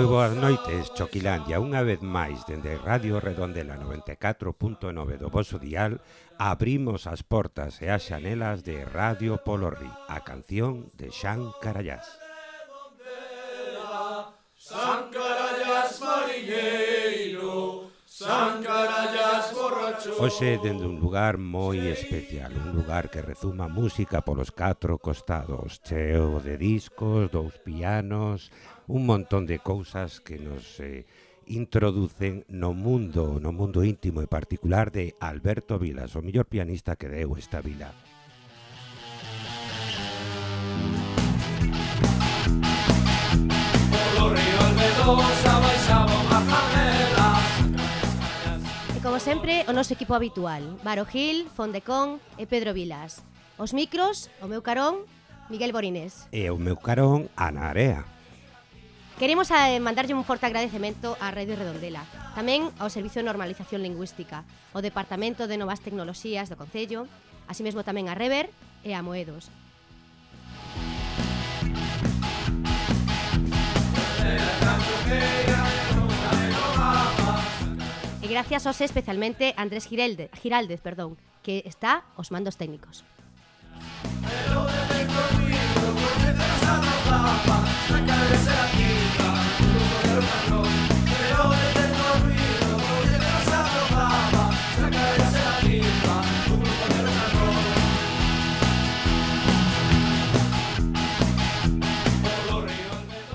Moi boas noites, Choquilandia. Unha vez máis, dende Radio Redondela 94.9 do voso dial, abrimos as portas e as xanelas de Radio Polorri, a canción de Xan Carallás. San Carallás mariñeiro, San Carallás borracho. Hoxe dende un lugar moi especial, un lugar que rezuma música polos 4 costados, cheo de discos, 2 pianos, un montón de cousas que nos introducen no mundo íntimo e particular de Alberto Vilas, o mellor pianista que deu esta vila. E como sempre, o noso equipo habitual, Varo Gil, Fondecón e Pedro Vilas. Os micros, o meu carón, Miguel Borinés. E o meu carón, Ana Area. Queremos mandarlle un forte agradecemento á Radio Redondela, tamén ao Servicio de Normalización Lingüística, ao Departamento de Novas Tecnoloxías do Concello, así mesmo tamén a Rever e a Moedos. E gracias aos especialmente a Andrés Giraldez, que está aos mandos técnicos.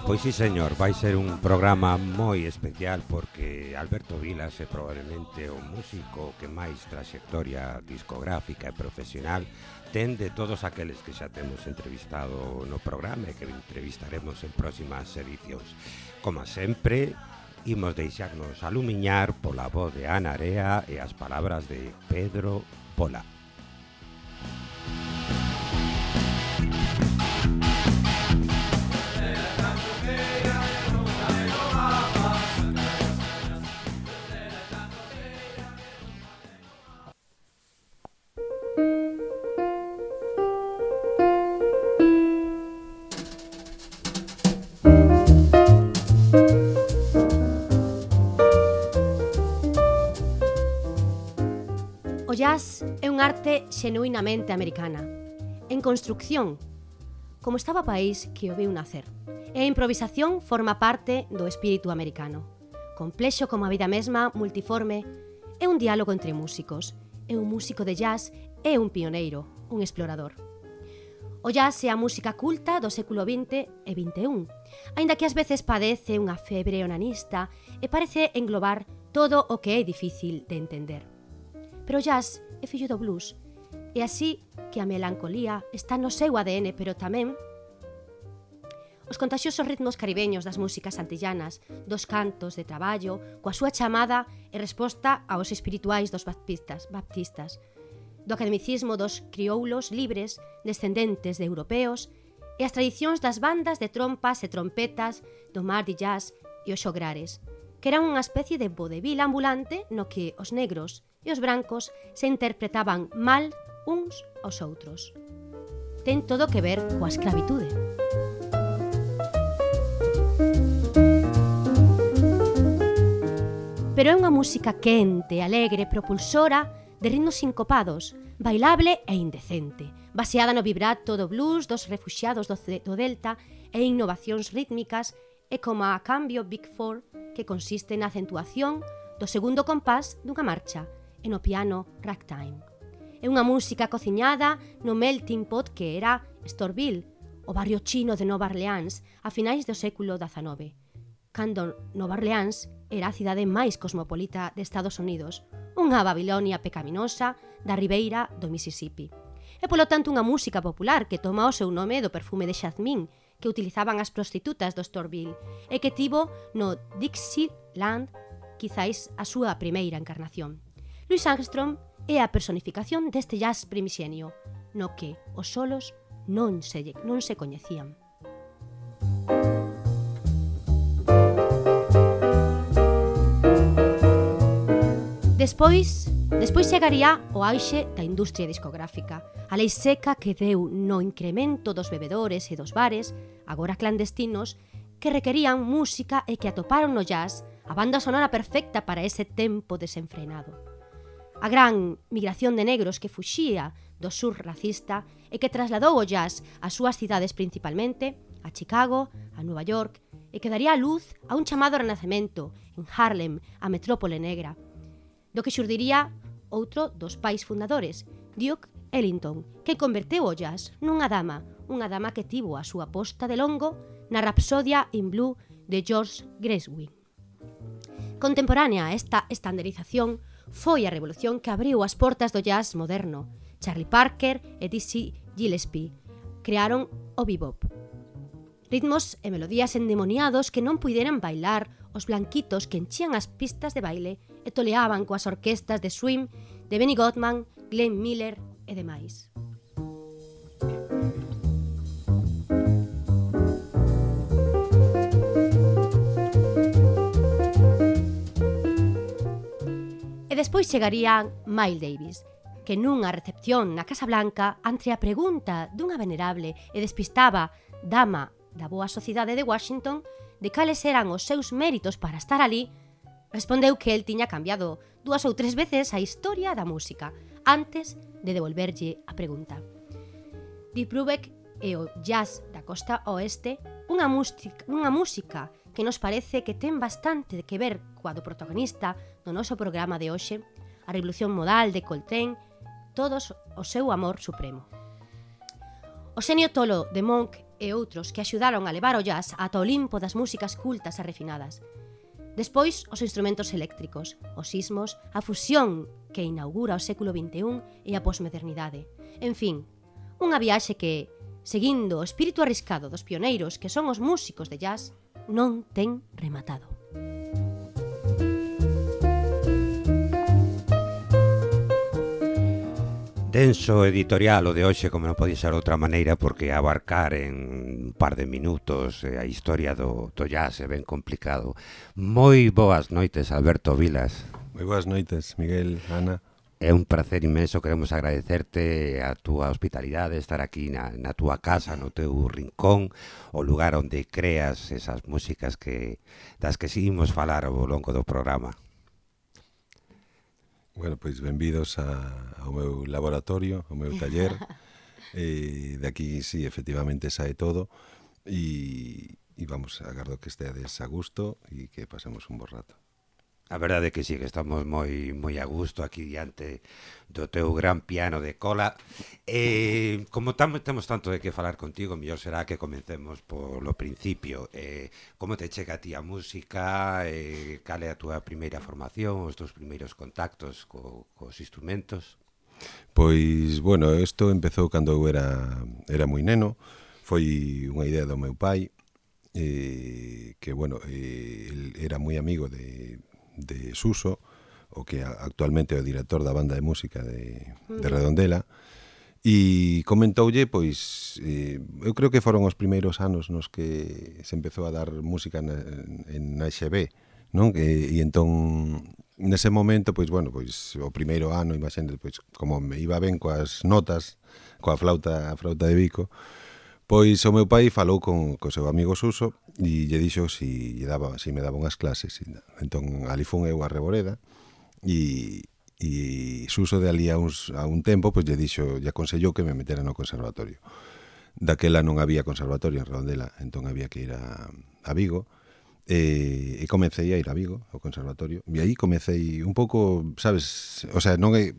Pois sí, señor, vai ser un programa moi especial porque Alberto Vilas é probablemente o músico que máis traxectoria discográfica e profesional ten de todos aqueles que xa temos entrevistado no programa e que entrevistaremos en próximas edicións. Como sempre, imos deixarnos alumiñar pola voz de Ana Area e as palabras de Pedro Pola. O jazz é un arte xenuinamente americana, en construcción, como estaba país que o viu nacer. E a improvisación forma parte do espírito americano. Complexo como a vida mesma, multiforme, é un diálogo entre músicos. E un músico de jazz é un pioneiro, un explorador. O jazz é a música culta do século XX e XXI, aínda que ás veces padece unha febre onanista e parece englobar todo o que é difícil de entender. Pero o jazz é fillo do blues, e así que a melancolía está no seu ADN, pero tamén os contaxiosos ritmos caribeños das músicas antillanas, dos cantos de traballo, coa súa chamada e resposta aos espirituais dos baptistas, do academicismo dos crioulos libres, descendentes de europeos, e as tradicións das bandas de trompas e trompetas, do mar de jazz e os xograres, que eran unha especie de vodevil ambulante no que os negros e os brancos se interpretaban mal uns aos outros. Ten todo que ver coa escravitude. Pero é unha música quente, alegre, propulsora, de ritmos sincopados, bailable e indecente, baseada no vibrato do blues dos refuxiados do Delta e innovacións rítmicas e como a cambio Big Four, que consiste na acentuación do segundo compás dunha marcha e no piano ragtime. É unha música cociñada no melting pot que era Storville, o barrio chino de Nova Orleans a finais do século XIX, cando Nova Orleans era a cidade máis cosmopolita de Estados Unidos, unha Babilonia pecaminosa da ribeira do Mississippi. É, polo tanto, unha música popular que toma o seu nome do perfume de xazmín que utilizaban as prostitutas do Storville e que tivo no Dixieland quizáis a súa primeira encarnación. Louis Armstrong é a personificación deste jazz primixenio, no que os solos non se coñecían. Despois chegaría o auxe da industria discográfica, a lei seca que deu no incremento dos bebedores e dos bares, agora clandestinos, que requerían música e que atoparon no jazz a banda sonora perfecta para ese tempo desenfrenado. A gran migración de negros que fuxía do sur racista e que trasladou o jazz ás súas cidades principalmente, a Chicago, a Nova York, e que daría a luz a un chamado renacemento en Harlem, a metrópole negra, do que xurdiría outro dos pais fundadores, Duke Ellington, que converteu o jazz nunha dama que tivo a súa posta de longo na Rhapsodia in Blue de George Gershwin. Contemporánea a esta estandarización foi a revolución que abriu as portas do jazz moderno. Charlie Parker e Dizzy Gillespie crearon o bebop. Ritmos e melodías endemoniados que non puideran bailar os blanquitos que enchían as pistas de baile e toleaban coas orquestas de swing de Benny Goodman, Glenn Miller e demais. E despois chegaría Miles Davis, que nunha recepción na Casa Blanca, ante a pregunta dunha venerable e despistada dama da boa sociedade de Washington de cales eran os seus méritos para estar ali, respondeu que el tiña cambiado 2 ou 3 veces a historia da música antes de devolverlle a pregunta. Deep Brubeck e o jazz da costa oeste, unha música que nos parece que ten bastante que ver coa do protagonista do noso programa de hoxe, a revolución modal de Coltrane, todos o seu amor supremo. O xenio tolo de Monk e outros que axudaron a levar o jazz ata o Olimpo das músicas cultas e refinadas. Despois, os instrumentos eléctricos, os sismos, a fusión que inaugura o século XXI e a posmodernidade. En fin, unha viaxe que, seguindo o espírito arriscado dos pioneiros que son os músicos de jazz, non ten rematado. Denso editorial o de hoxe, como non podía ser de outra maneira, porque abarcar en un par de minutos a historia do jazz é ben complicado. Moi boas noites, Alberto Vilas. Moi boas noites, Miguel, Ana. É un placer inmenso, queremos agradecerte a túa hospitalidade, estar aquí na túa casa, no teu rincón, o lugar onde creas esas músicas das que seguimos falar ao longo do programa. Bueno, pois benvidos ao meu laboratorio, ao meu taller. De aquí, sí, efectivamente, sae todo. E vamos, agardo que esteades a gusto e que pasemos un bo rato. A verdade é que sí, que estamos moi a gusto aquí diante do teu gran piano de cola. Como temos tanto de que falar contigo, mellor será que comencemos polo principio. Como te chega a ti a música? Cal é a túa primeira formación, os teus primeiros contactos cos instrumentos? Pois, bueno, isto empezou cando eu era moi neno. Foi unha idea do meu pai, que, bueno, el era moi amigo de Suso, o que actualmente é o director da banda de música de Redondela, e comentoulle, pois, eu creo que foron os primeiros anos nos que se empezou a dar música en AXB, non? E entón, nese momento, pois, bueno, pois, o primeiro ano, imagínate, pois, como me iba ben coas notas, coa flauta de bico, pois o meu pai falou co seu amigo Suso e lle dixo si me daba unhas clases. Entón, ali fun eu a Reboreda e Suso de ali a un tempo pois lle aconsellou que me metera no conservatorio. Daquela non había conservatorio en Redondela, entón había que ir a Vigo e comecei a ir a Vigo, ao conservatorio, e aí comecei un pouco, sabes, o sea, non é,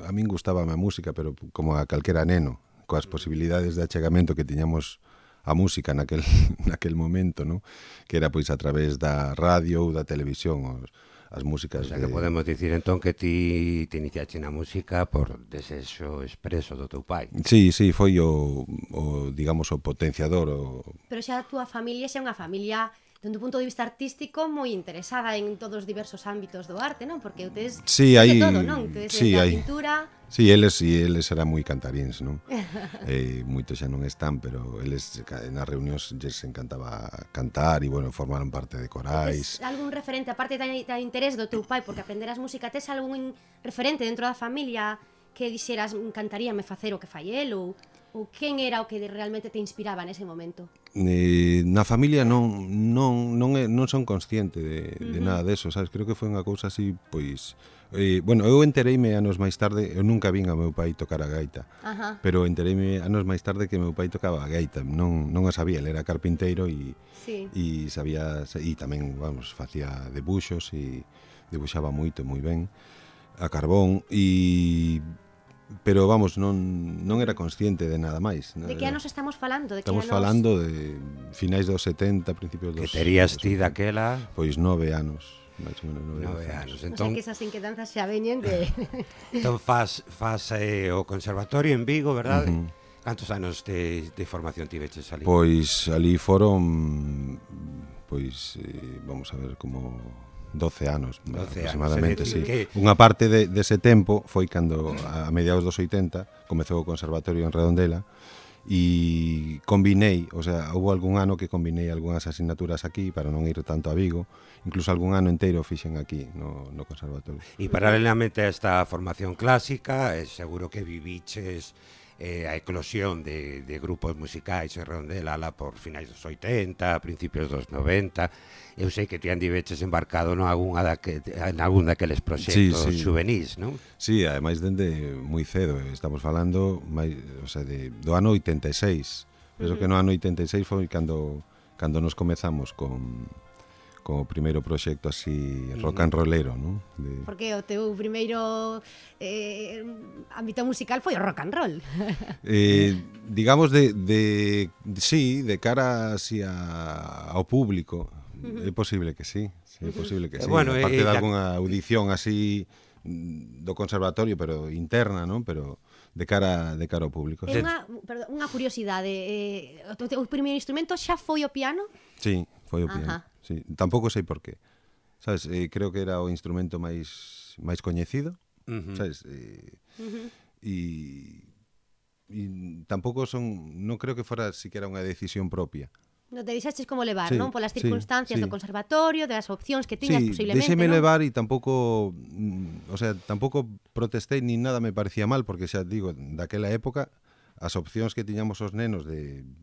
a min gustábame a música, pero como a calquera neno, coas posibilidades de achegamento que tiñamos a música naquel momento, ¿no? Que era pois a través da radio ou da televisión, as músicas. O sea, que podemos dicir entón que ti te iniciaste na música por desexo expreso do teu pai. Sí, foi o digamos, o potenciador. Pero xa a túa familia xa é unha familia dende un punto de vista artístico moi interesada en todos os diversos ámbitos do arte, non? Porque ustedes de todo, non? Ustedes a pintura. Sí, eles eran moi cantaríns, non? Moitos xa non están, pero eles nas reunións lles encantaba cantar e, bueno, formaron parte de corais. Tes algún referente, aparte da interés do teu pai, porque aprenderás música, tes algún referente dentro da familia que dixeras encantaríame facer o que fai el, ou quen era o que realmente te inspiraba nese momento? Na familia non son consciente de nada deso, sabes? Creo que foi unha cousa así, pois... bueno, eu entereime anos máis tarde, eu nunca vin a meu pai tocar a gaita, pero entereime anos máis tarde que meu pai tocaba a gaita, non a sabía, ele era carpinteiro e sabía, e tamén, vamos, facía debuxos e debuxaba moito, moi ben, a carbón, pero vamos, non era consciente de nada máis. De que anos estamos falando? Estamos falando de finais dos 70, principios dos... Que terías ti daquela? Pois 9 anos, máis ou menos 9 anos. Entón, o sea que esas inquedanzas xa veñen de... Entón faz o conservatorio en Vigo, verdade? Cantos anos de formación tiveches ali? Pois ali foron, vamos a ver, como 12 anos, aproximadamente, sí. Unha parte dese tempo foi cando, a mediados dos 80, comezou o conservatorio en Redondela e combinei, o sea, houve algún ano que combinei algunhas asignaturas aquí para non ir tanto a Vigo, incluso algún ano inteiro fixen aquí no conservatorio. E paralelamente a esta formación clásica, seguro que viviches a eclosión de grupos musicais en Redondela lá por finais dos 80, principios dos 90. Eu sei que ti andiveches embarcado en algún daqueles proxectos juvenís, non? Sí, ademais dende moi cedo, estamos falando o sea, do ano 86. Penso que no ano 86 foi cando nos comezamos con o primeiro proxecto así rock and rollero, non? Porque o teu primeiro ámbito musical foi o rock and roll. Digamos de cara así ao público, é posible que sí, é posible que sí. Bueno, aparte de algunha audición así do conservatorio, pero interna, non? Pero de cara ao público. Unha curiosidade, o primeiro instrumento xa foi o piano? Sí, foi o piano. Sí, tampouco sei por qué. Sabes, creo que era o instrumento máis coñecido, sabes? E tampouco non creo que fora siquiera unha decisión propia. Non te deixaches como levar, non? Polas circunstancias do conservatorio, das opcións que tiñas posiblemente, non? Deixeme levar e tampouco, o sea, tampouco protestei ni nada me parecía mal, porque xa digo, daquela época as opcións que tiñamos os nenos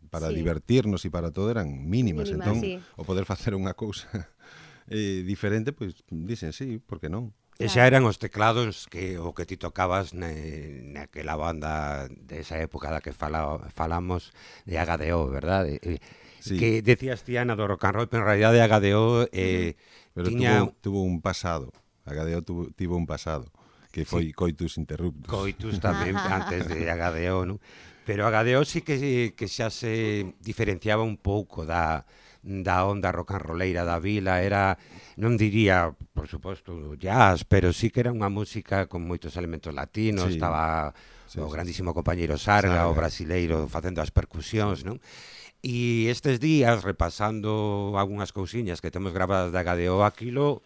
para divertirnos e para todo eran mínimas, entón o poder facer unha cousa diferente, pois dicen sí, por que non? E xa eran os teclados o que ti tocabas naquela banda desa época da que falamos de HDO, verdade? Sí. Que decías ti, Ana, do rock and roll, pero en realidad de HDO pero tuvo un pasado. HDO tivo un pasado que foi Coitus Interruptus. Coitus tamén antes de HDO, non? Pero HDO sí que xa se diferenciaba un pouco da onda rock and rolleira da vila, era, non diría, por suposto, jazz, pero sí que era unha música con moitos elementos latinos, estaba o grandísimo compañeiro Sarga, o brasileiro facendo as percusións, non? E estes días, repasando algunhas cousiñas que temos gravadas de HDO, aquilo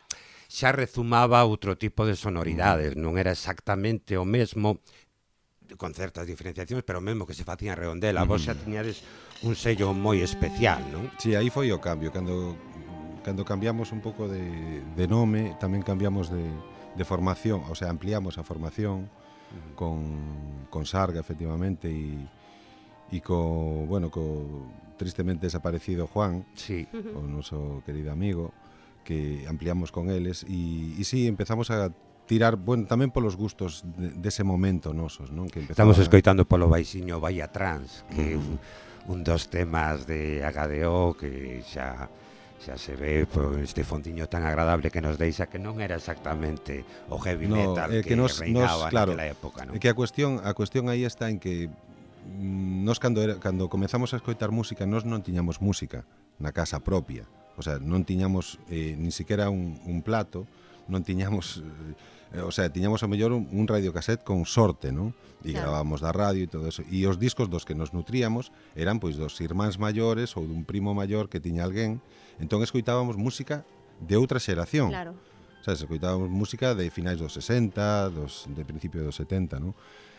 xa rezumaba outro tipo de sonoridades, non era exactamente o mesmo, con certas diferenciacións, pero mesmo que se facía en Redondela, vos xa tiñades un sello moi especial, non? Sí, aí foi o cambio, cando cambiamos un pouco de nome, tamén cambiamos de formación, o sea, ampliamos a formación con Sarga, efectivamente, e co tristemente desaparecido Juan, o noso querido amigo, que ampliamos con eles e sí, empezamos a tirar, bueno, tamén polos gustos dese momento nosos, non? Que estamos escoitando polo baixiño Bahía Trans, que é un dos temas de HDO que xa se ve por este fondiño tan agradable que nos deixa, que non era exactamente o heavy metal que reinaba naquela época, non? É que a cuestión aí está en que nos cando comezamos a escoitar música, nos non tiñamos música na casa propia. O sea, non tiñamos ni siquiera un plato, non tiñamos, o sea, tiñamos ao mellor un radiocassette con sorte, non? E gravábamos da radio e todo eso. E os discos dos que nos nutríamos eran pois dos irmáns maiores ou dun primo maior que tiña alguén. Entón escoitábamos música de outra xeración. Claro. O sea, escoitábamos música de finais dos 60, de principio dos 70, non?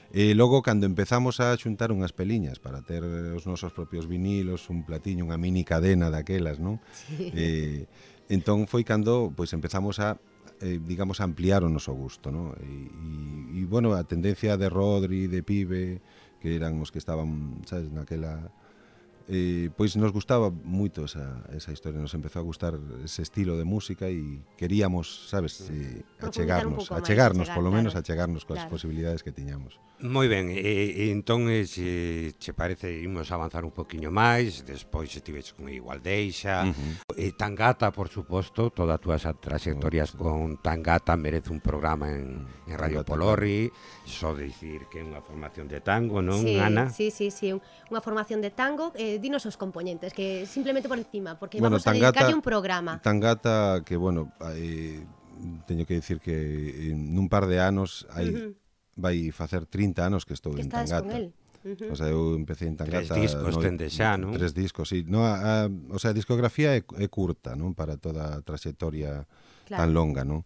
E logo, cando empezamos a xuntar unhas peliñas para ter os nosos propios vinilos, un platiño, unha mini cadena daquelas, non? Sí. Entón foi cando pois empezamos a digamos, ampliaron o noso gusto, ¿no? E bueno, a tendencia de Rodri, de Pibe, que eran os que estaban, sabes, naquela... pois nos gustaba moito esa historia, nos empezou a gustar ese estilo de música e queríamos, sabes, achegarnos, polo menos achegarnos coas posibilidades que tiñamos. Moi ben, entón, se che parece, imos avanzar un poquinho máis, despois estiveches con Igualdeixa, Tangata, por suposto, toda a túa trayectorias con Tangata merece un programa en Radio Polorri, só dicir que é unha formación de tango, non, Ana? Sí, unha formación de tango, dinos os componentes, que simplemente por encima, porque vamos a dedicarlle un programa. Tangata, que, bueno, teño que dicir que nun par de anos vai facer 30 anos que estou en Tangata. Con él. O sea, eu empecé en Tangata... 3 discos tende xa, non? 3 discos, sí. No, o sea, a discografía é curta, non? Para toda a trayectoria tan longa, non?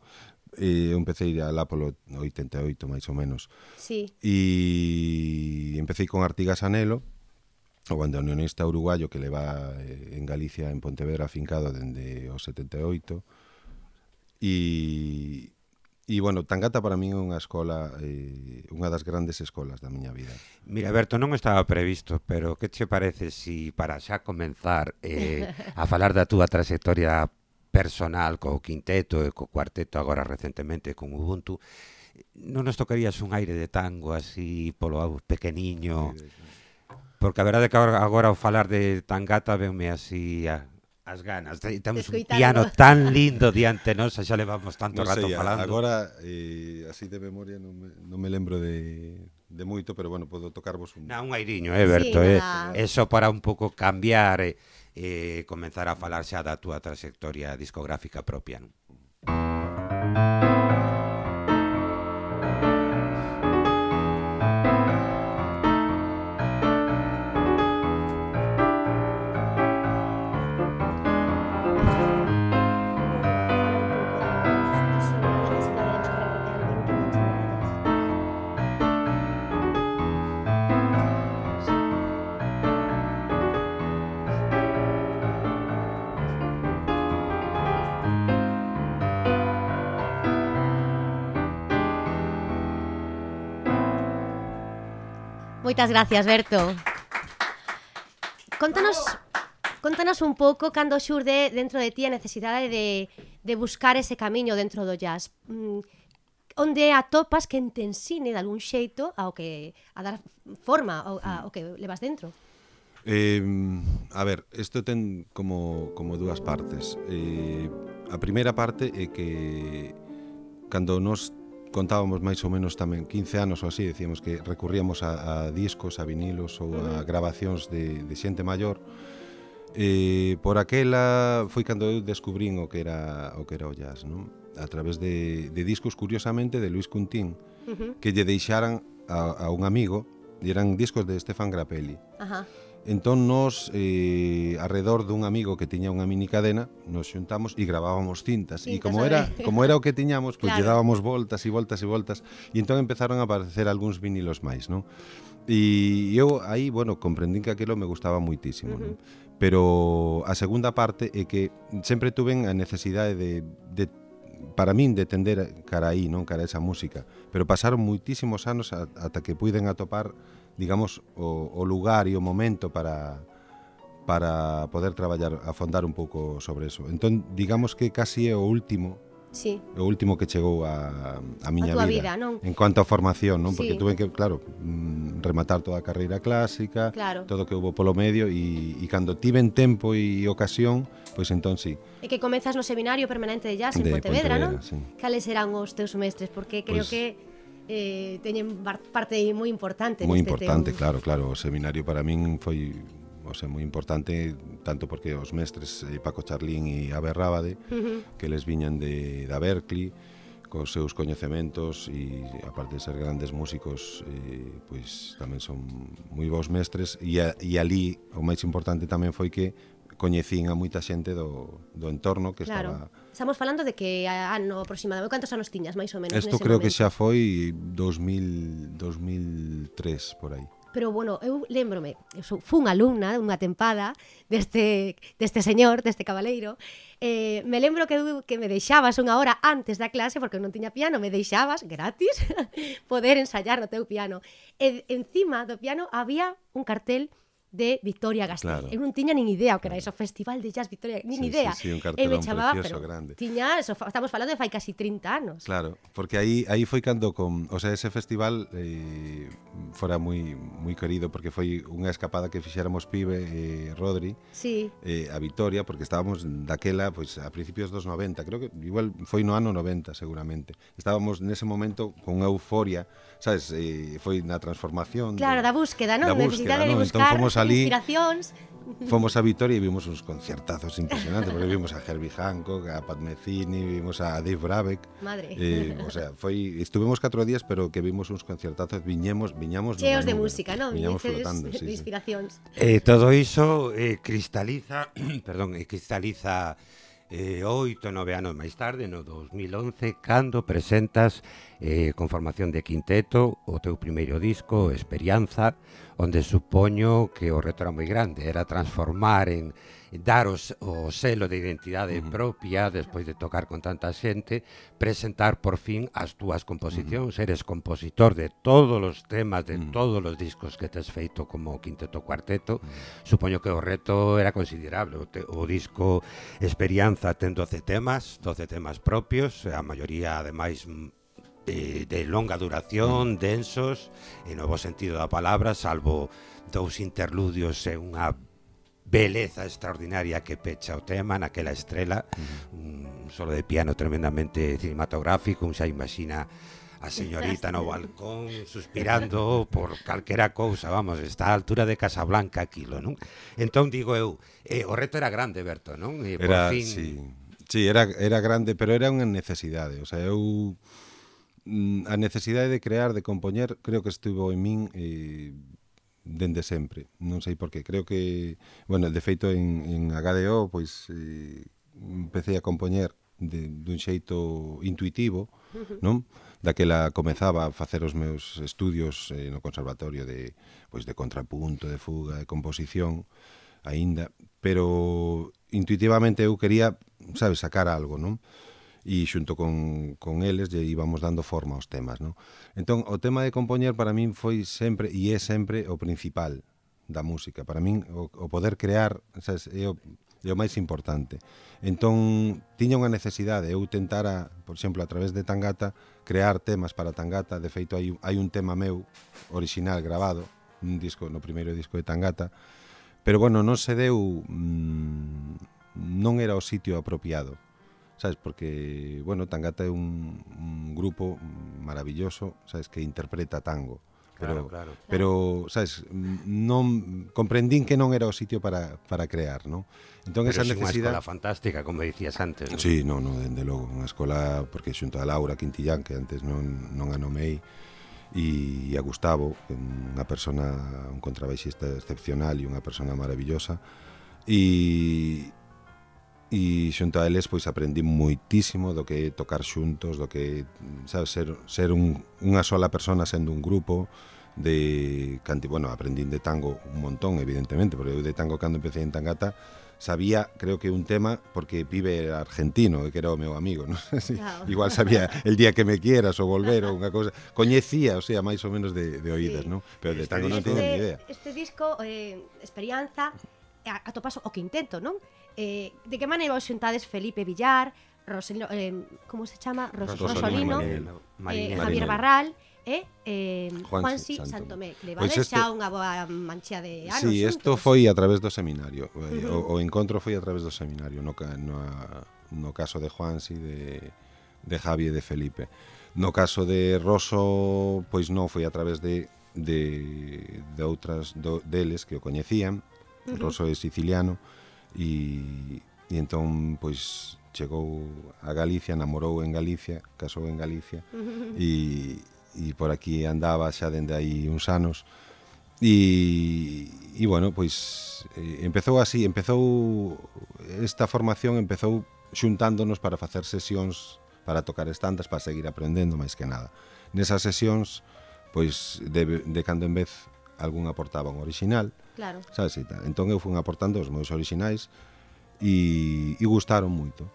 Eu empecé alá polo 88, máis ou menos. Sí. E empecé con Artigas Anelo, o bandoneonista uruguayo que leva en Galicia, en Pontevedra, afincado dende o 78. E bueno, Tangata para min é unha escola, unha das grandes escolas da miña vida. Mira, Berto, non estaba previsto, pero que che parece si para xa comenzar a falar da túa trayectoria personal co quinteto e co cuarteto agora recentemente con Ubuntu, non nos tocarías un aire de tango así polo pequeniño? Porque a verdade é que agora ao falar de Tangata venme así as ganas. Temos un piano tan lindo diante nos, xa levamos tanto rato falando. Agora, así de memoria non me lembro de moito, pero bueno, podo tocarvos un airiño, Berto, eso para un pouco cambiar e comenzar a falar xa da túa trayectoria discográfica propia, non? Moitas gracias, Berto. Contanos un pouco cando xurde dentro de ti a necesidade de buscar ese camiño dentro do jazz. Onde atopas que te ensine de algún xeito a dar forma ao que levas dentro? A ver, isto ten como dúas partes. A primeira parte é que cando nos contábamos máis ou menos tamén 15 anos ou así, decíamos que recurríamos a discos, a vinilos ou a grabacións de xente maior. Por aquela foi cando eu descubrín o que era o jazz, non? A través de discos, curiosamente, de Luis Cuntín, que lle deixaran a un amigo, e eran discos de Stefan Grappelli. Entón nos, arredor dun amigo que tiña unha mini cadena, nos xuntamos e gravábamos cintas. E como era o que tiñamos, pois lle dábamos voltas e voltas e voltas, e entón empezaron a aparecer algúns vinilos máis, non? E eu aí, bueno, comprendín que aquilo me gustaba moitísimo, non? Pero a segunda parte é que sempre tuven a necesidade de para min de tender cara aí, non? Cara a esa música. Pero pasaron moitísimos anos ata que puiden atopar, digamos, o lugar e o momento para poder traballar, afondar un pouco sobre eso. Entón, digamos que casi é o último que chegou a miña vida, non? En cuanto a formación, non? Porque tuve que, claro, rematar toda a carreira clásica, todo o que houve polo medio, e cando tiven tempo e ocasión, pois entón sí. E que comezas no Seminario Permanente de Jazz en Pontevedra, non? Sí. Cales serán os teus mestres? Porque creo que teñen parte moi importante moi importante, claro, o seminario para min foi, o sea, moi importante, tanto porque os mestres Paco Charlín e Abe Rábade, que les viñan da Berkeley cos seus coñecementos, e aparte de ser grandes músicos, pois tamén son moi bons mestres, e ali o máis importante tamén foi que coñecín a moita xente do entorno que estaba... Estamos falando de que ano aproximadamente, cantos anos tiñas, máis ou menos? Isto creo que xa foi 2003, por aí. Pero, bueno, eu lembrome, fun alumna unha tempada deste señor, deste cabaleiro. Me lembro que me deixabas unha hora antes da clase, porque non tiña piano, me deixabas gratis poder ensayar no teu piano. E encima do piano había un cartel de Victoria Gasteiz. Claro. Eu non tiña nin idea o que era eso, Festival de Jazz Victoria, nin idea. Sí, un cartelón precioso, grande. Tiña, eso, estamos falando de fai casi 30 anos. Claro, porque aí foi cando o sea, ese festival fora moi querido, porque foi unha escapada que fixéramos Pibe e Rodri, sí, a Vitoria, porque estábamos daquela, pois, a principios dos 90, creo que igual foi no ano 90 seguramente. Estábamos nese momento con unha euforia, sabes, foi na transformación. Claro, da búsqueda, non? Da búsqueda, Necesidade de non? buscar Entón fomos ali, inspiracións. Fomos a Vitoria e vimos uns concertazos impresionantes, porque vimos a Herbie Hancock, a Pat Metheny, vimos a Dave Brubeck. Madre. O sea, estuvemos 4 días, pero que vimos uns concertazos, viñamos cheos de música, non? Viñamos flotando, de inspiracións. Todo iso cristaliza, cristaliza 8 ou 9 anos máis tarde, no 2011, cando presentas con formación de quinteto o teu primeiro disco, Experianza, onde supoño que o reto era moi grande, era transformar en dar o selo de identidade propia despois de tocar con tanta xente, presentar por fin as túas composicións. Eres compositor de todos os temas de todos os discos que tes feito como quinteto cuarteto. Supoño que o reto era considerable. O disco Experianza ten 12 temas propios, a maioría ademais de longa duración, densos, en novo sentido da palabra, salvo 2 interludios e unha beleza extraordinaria que pecha o tema naquela estrela, un solo de piano tremendamente cinematográfico, un xa imagina a señorita no balcón suspirando por calquera cousa, vamos, está a altura de Casablanca aquilo, non? Entón digo eu, o reto era grande, Berto, non? Era, fin... sí, era grande, pero era unha necesidade, o sea, eu a necesidade de crear, de compoñer, creo que estivo en min dende sempre, non sei por qué. Creo que, bueno, de feito en HDO, pois empecé a compoñer dun xeito intuitivo, non? Daquela comezaba a facer os meus estudios no conservatorio de contrapunto, de fuga, de composición, aínda, pero intuitivamente eu quería, sabes, sacar algo, non? E xunto con eles lle íbamos dando forma aos temas, non? Entón, o tema de compoñer para min foi sempre, e é sempre, o principal da música. Para min, o poder crear, sabes, é o máis importante. Entón, tiña unha necesidade, eu tentara, por exemplo, a través de Tangata, crear temas para Tangata. De feito, hai un tema meu, original, grabado, no primeiro disco de Tangata, pero, bueno, non se deu, non era o sitio apropiado, sabes, porque, bueno, Tangata é un grupo maravilloso, sabes, que interpreta tango, pero sabes, non comprendín que non era o sitio para crear, non? Entón, pero esa unha necesidade... escola fantástica, como dicías antes, non? Sí, non, dende logo, unha escola, porque xunto a Laura Quintillán, que antes non a nomei, e a Gustavo, unha persona, un contrabaixista excepcional e unha persona maravillosa, e xunto a eles pois aprendí moitísimo do que tocar xuntos, do que, sabes, ser unha sola persona sendo un grupo de bueno, aprendín de tango un montón, evidentemente, porque eu de tango cando empecé en Tangata sabía, creo que un tema, porque Pibe era argentino, que era o meu amigo, non sei si, igual sabía El día que me quieras ou Volver ou unha cousa, coñecía, o sea, máis ou menos de oídas, non? Pero de tango non teño ni idea. Este disco, Experianza, atopas o quinteto, non? De que maneira os xuntades Felipe Villar, como se chama? Rosolino, Javier Barral e Juansi Santomé, que levades xa unha boa mancha de anos. Sí, isto foi a través do seminario, o encontro foi a través do seminario, no caso de Juansi, de Javi e de Felipe. No caso de Roso, pois non, foi a través de outras deles que o coñecían. Roso é siciliano, e entón pois chegou a Galicia, namorou en Galicia, casou en Galicia, e por aquí andaba xa dende aí uns anos, e bueno, pois empezou así, esta formación empezou xuntándonos para facer sesións, para tocar estandas, para seguir aprendendo máis que nada. Nesas sesións, pois de cando en vez algún aportaba un original, Claro. sabes, e tal. Entón eu fui aportando os meus originais e gustaron moito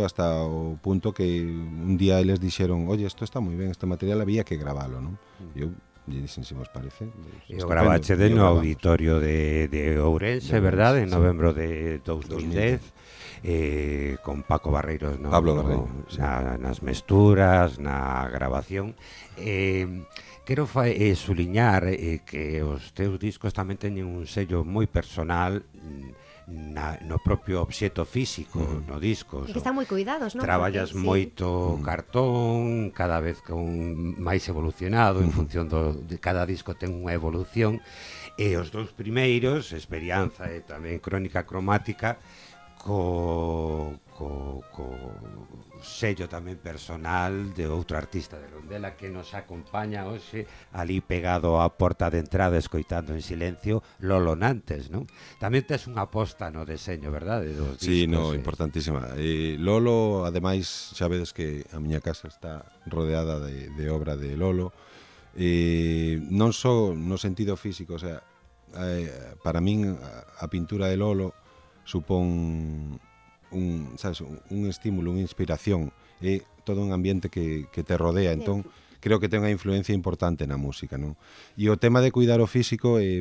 hasta o punto que un día eles dixeron, oye, isto está moi ben, este material había que gravalo, non? E eu lle dixen, se vos parece, E o gravache de no auditorio de Ourense, verdade? En novembro de 2010, con Paco Barreiros Pablo Barreiro, sí. nas mesturas, na grabación. Quero suliñar que os teus discos tamén teñen un sello moi personal no propio obxeto físico, no disco. E que están moi cuidados, non? Traballas moito cartón, cada vez con máis evolucionado, en función de cada disco ten unha evolución, e os dous primeiros, Experianza e tamén Crónica Cromática, co sello tamén personal de outro artista de Rondela que nos acompaña hoxe ali pegado á porta de entrada escoitando en silencio, Lolo Nantes, non? Tamén tes unha aposta no deseño, verdade? Dos Sí, discos, no, importantísima. Lolo, ademais, xa vedes que a miña casa está rodeada de obra de Lolo, non só no sentido físico, o sea, para min a pintura de Lolo supón un estímulo, unha inspiración, é todo un ambiente que te rodea, entón creo que ten unha influencia importante na música, non? E o tema de cuidar o físico é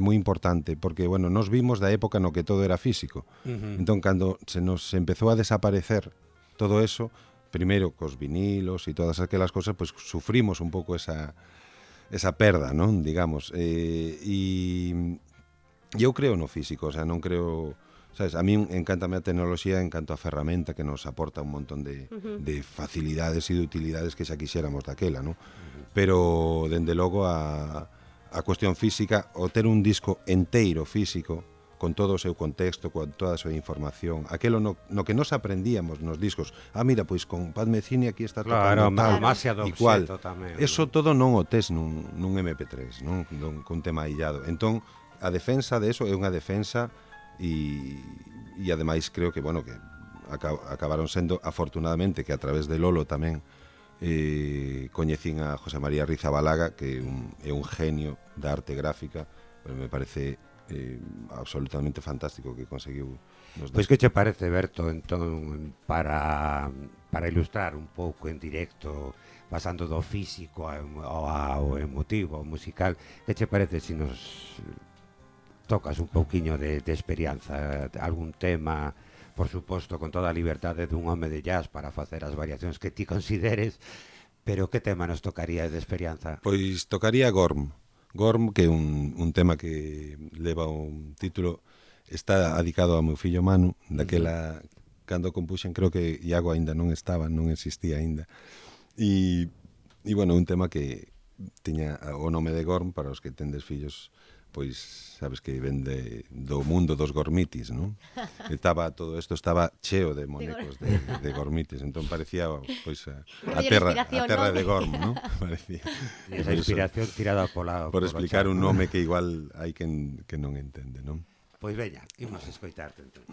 moi importante, porque, bueno, nos vimos da época no que todo era físico. Entón, cando se nos empezou a desaparecer todo eso, primeiro cos vinilos e todas aquelas cosas, pues sufrimos un pouco esa perda, non? Digamos. E eu creo no físico, o sea, non creo... Sabes, a mí encántame a tecnoloxía, encanto a ferramenta que nos aporta un montón de facilidades e de utilidades que xa quixéramos daquela, ¿no? Pero, dende logo, a cuestión física, o ter un disco enteiro físico, con todo o seu contexto, con toda a súa información, aquelo no que nos aprendíamos nos discos, mira, pois con Pat Metheny aquí está tocando tal, igual, eso todo non o tes nun MP3, non? Cun tema illado. Entón, a defensa de eso é unha defensa e ademais creo que, bueno, que acabaron sendo, afortunadamente, que a través de Lolo tamén coñecín a José María Rizabalaga, que é un genio da arte gráfica, pero me parece absolutamente fantástico que conseguiu. Pois que che parece, Berto, entón, para ilustrar un pouco en directo, pasando do físico ao emotivo, ao musical, que che parece se nos tocas un pouquiño de Experianza, algún tema, por suposto, con toda a liberdade dun home de jazz para facer as variacións que ti consideres, pero que tema nos tocaría de Experianza? Pois tocaría Gorm, que é un tema que leva un título, está dedicado ao meu fillo Manu, daquela, cando compuxen, creo que Iago aínda non estaba, non existía aínda, e bueno, un tema que tiña o nome de Gorm, para os que tendes fillos, pois sabes que vende do mundo dos gormitis, non? Todo isto estaba cheo de monecos de gormitis, entón parecía pois a terra de Gorm, non? Parecía. E esa inspiración tirada por explicar un nome que igual hai quen non entende, non? Pois veña, imos escoitarte entón.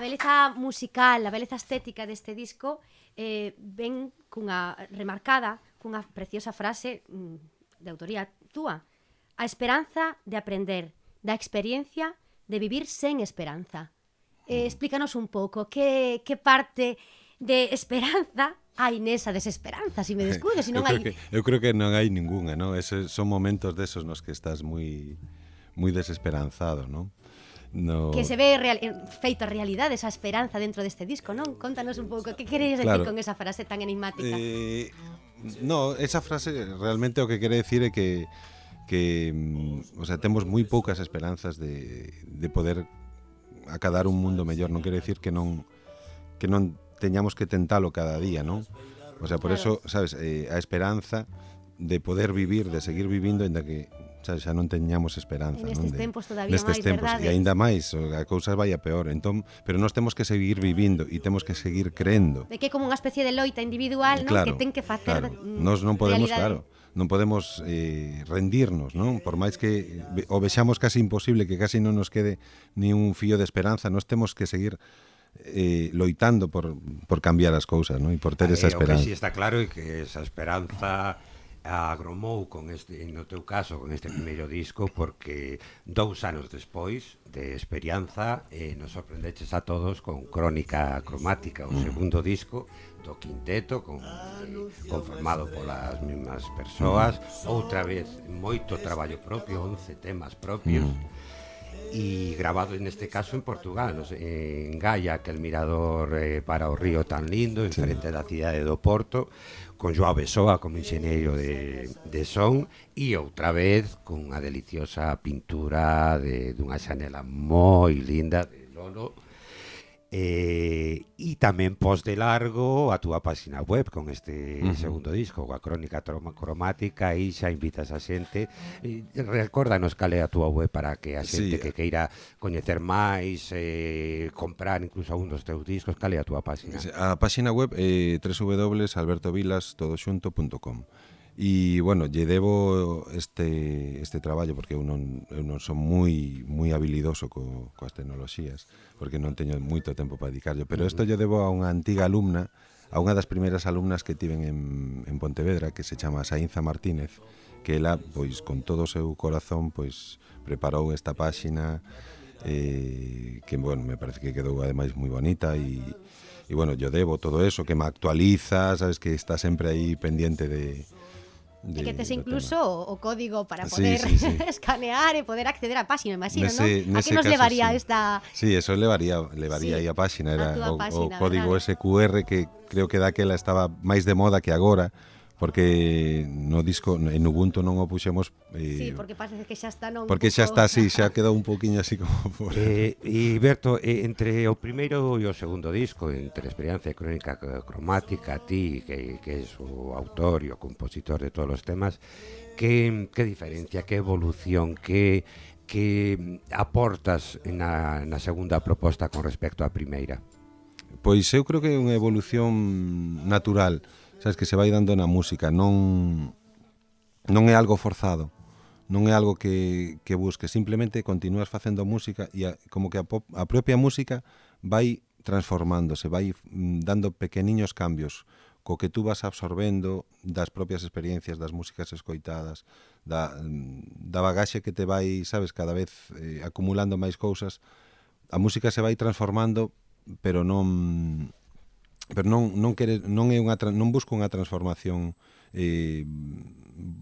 beleza musical, a beleza estética deste disco ven cunha remarcada, cunha preciosa frase de autoría túa. A esperanza de aprender, da experiencia de vivir sen esperanza. Explícanos un pouco que parte de esperanza hai nesa desesperanza, se me descuido, se non hai... Eu creo que non hai ninguna, non? Son momentos desos nos que estás moi desesperanzado, non? No... Que se ve feito a realidade esa esperanza dentro deste disco, non? Contanos un pouco, que queres decir con esa frase tan enigmática? No, esa frase realmente o que quere decir é que o sea, temos moi poucas esperanzas de poder acadar un mundo mellor. Non quere decir que non teñamos que tentalo cada día, non? O sea, por eso, sabes, a esperanza de poder vivir, de seguir vivindo, ainda que xa non teñamos esperanza, en estes tempos todavía nestes máis, tempos, verdade? E aínda máis, a cousa vai a peor. Entón, pero nós temos que seguir vivindo e temos que seguir creendo. De que é como unha especie de loita individual, non? Claro, Que ten que facer Nós non podemos, realidade. non podemos rendirnos, non? Por máis que o vexamos casi imposible, que casi non nos quede ni un fío de esperanza, nós temos que seguir loitando por cambiar as cousas, non? E por ter esa esperanza. O que si está claro é que esa esperanza agromou no teu caso, con este primeiro disco, porque 2 anos despois de Experianza nos sorprendeches a todos con Crónica Cromática, o segundo disco do quinteto, conformado polas mesmas persoas, outra vez moito traballo propio, 11 temas propios, e grabado neste caso en Portugal, en Gaia, aquel mirador para o río tan lindo, en frente da cidade do Porto, con Joao Besoa como enxeñeiro de son, e outra vez con unha deliciosa pintura dunha xanela moi linda de Lolo, e tamén pos de largo a túa página web con este segundo disco, a Crónica Cromática, e xa invitas a xente. Recórdanos cal é a túa web para que a xente que queira coñecer máis, comprar incluso un dos teus discos. Cal é a túa página? A página web é www.albertovilastodoxunto.com. E, bueno, lle debo este traballo porque eu non son moi habilidoso coas tecnoloxías, porque non teño moito tempo para dedicarlo, pero isto lle debo a unha antiga alumna, a unha das primeiras alumnas que tiven en Pontevedra, que se chama Saínza Martínez, que ela, pois, con todo o seu corazón, pois, preparou esta páxina, que, bueno, me parece que quedou ademais moi bonita, e bueno, yo debo todo eso, que me actualiza, sabes, que está sempre aí pendiente de e que tes incluso o código para poder escanear e poder acceder á páxina, imagino, non? A que nos levaría esta... Sí, eso levaría aí a páxina, era o código SQR, que creo que daquela estaba máis de moda que agora, porque no disco, en Ubuntu non o puxemos... Sí, porque parece que xa está... Porque xa está así, xa quedou un poquinho así como... E Berto, entre o primeiro e o segundo disco, entre Experianza e Crónica Cromática, ti, que és o autor e o compositor de todos os temas, que diferencia, que evolución, que aportas na segunda proposta con respecto á primeira? Pois eu creo que é unha evolución natural, sabes, que se vai dando na música, non é algo forzado, non é algo que busques, simplemente continúas facendo música e como que a propia música vai transformándose, vai dando pequeniños cambios co que tú vas absorbendo das propias experiencias, das músicas escoitadas, da bagaxe que te vai, sabes, cada vez acumulando máis cousas. A música se vai transformando, pero non busco unha transformación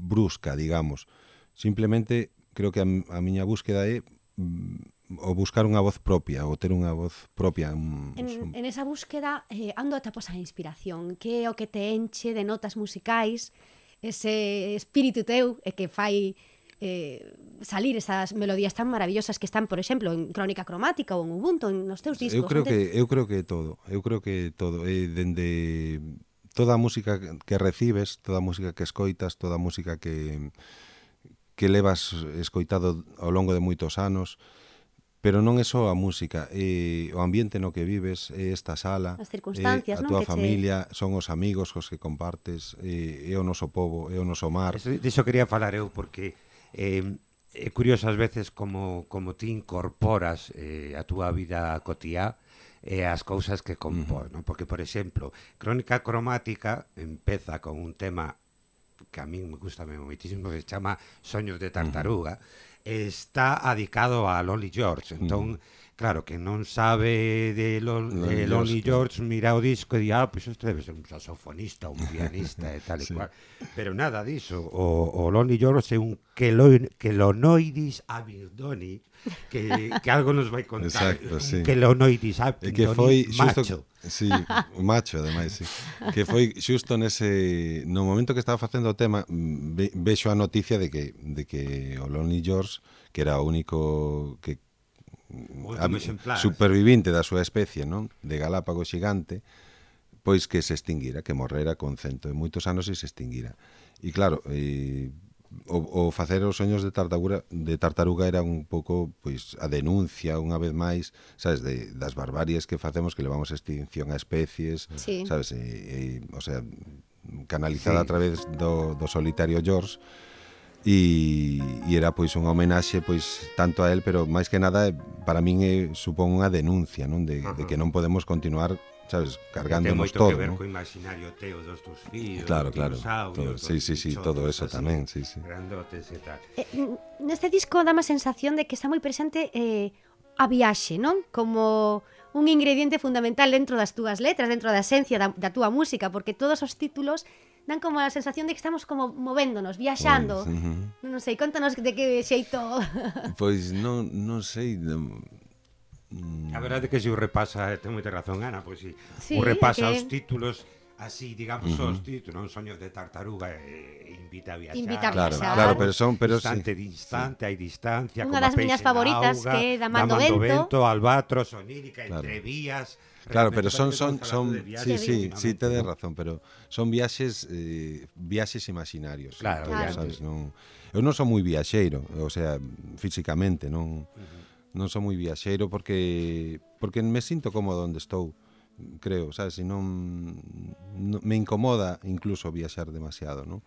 brusca, digamos. Simplemente creo que a miña búsqueda é o buscar unha voz propia, ou ter unha voz propia. En esa búsqueda, ando atopos a inspiración? Que é o que te enche de notas musicais, ese espírito teu e que fai salir esas melodías tan maravillosas que están, por exemplo, en Crónica Cromática ou en Ubuntu, nos teus discos? Eu creo que todo. Dende toda a música que recibes, toda a música que escoitas, toda a música que levas escoitado ao longo de moitos anos, pero non é só a música, é o ambiente no que vives, é esta sala, as circunstancias, a túa familia, son os amigos cos que compartes, é o noso pobo, é o noso mar. Diso quería falar eu, porque é curioso ás veces como ti incorporas a túa vida cotiá e as cousas que compón, non? Porque, por exemplo, Crónica Cromática empeza con un tema que a mí me gusta moitísimo, que se chama Soños de Tartaruga, está adicado a Lonely George, entón, claro, que non sabe de Lonely George, mira o disco e di, pois isto debe ser un saxofonista, un pianista e tal e cual, pero nada diso, o Lonely George é un Quelonoidis abindoni, que algo nos vai contar. Exacto, sí. Quelonoidis abindoni macho. Sí, un macho, ademais, sí. Que foi xusto no momento que estaba facendo o tema, vexo a noticia de que o Lonely George, que era o único que supervivinte da súa especie, non? De Galápagos xigante, pois que se extinguira, que morrera con 100 e moitos anos e se extinguira. E claro, o facer os soños de tartaruga era un pouco pois a denuncia unha vez máis, sabes, das barbaries que facemos, que levamos a extinción a especies, sabes, o sea, canalizada a través do solitario George. E era pois unha homenaxe pois tanto a él, pero máis que nada para min supón unha denuncia, non, de que non podemos continuar, sabes, cargándonos todo, ten moito que ver co imaginario teo dos tus fillos, claro, dinosaurios, todo eso tamén, grandotes e tal. Neste disco dá má sensación de que está moi presente a viaxe, non? Como un ingrediente fundamental dentro das túas letras, dentro da esencia da túa música, porque todos os títulos dan como a sensación de que estamos como movéndonos, viaxando. Non sei, contanos de que xeito... Pois non sei... A verdade é que se o repasa, ten moita razón Ana, pois o repasa os títulos así, digamos, os títulos, Soños de Tartaruga, invita a viaxar. Claro, pero instante de instante, hai distancia, unha das miñas favoritas, que é Damando Vento, Albatros, Onírica, Entre Vías. Claro, pero son sí, tedes razón, pero son viaxes imaginarios. Claro, sabes, eu non son moi viaxeiro, o sea, físicamente, non son moi viaxeiro porque me sinto cómodo onde estou, creo, sabes, e non me incomoda incluso viaxar demasiado, non?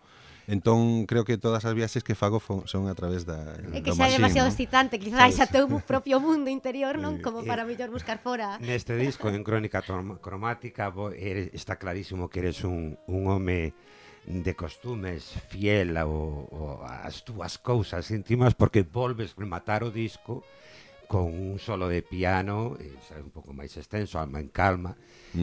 Entón, creo que todas as viaxes que fago son a través da é que xa é demasiado excitante, quizás a teu propio mundo interior, non? Como para mellor buscar fora. Neste disco, en Crónica Cromática, está clarísimo que eres un home de costumes fiel ás túas cousas íntimas, porque volves rematar o disco con un solo de piano, un pouco máis extenso, Alma en Calma,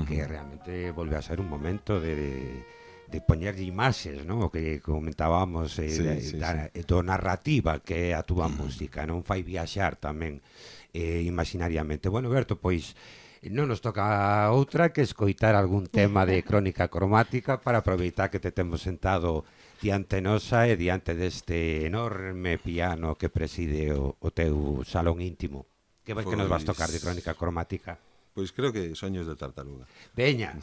que realmente volve a ser un momento de poñerlle imaxes, non? O que comentábamos do narrativa que é a túa música, non fai viaxar tamén imaginariamente. Bueno, Berto, pois non nos toca outra que escoitar algún tema de Crónica Cromática para aproveitar que te temos sentado diante nosa e diante deste enorme piano que preside o teu salón íntimo. Que nos vas tocar de Crónica Cromática? Pois creo que Soños de Tartaruga. Veña.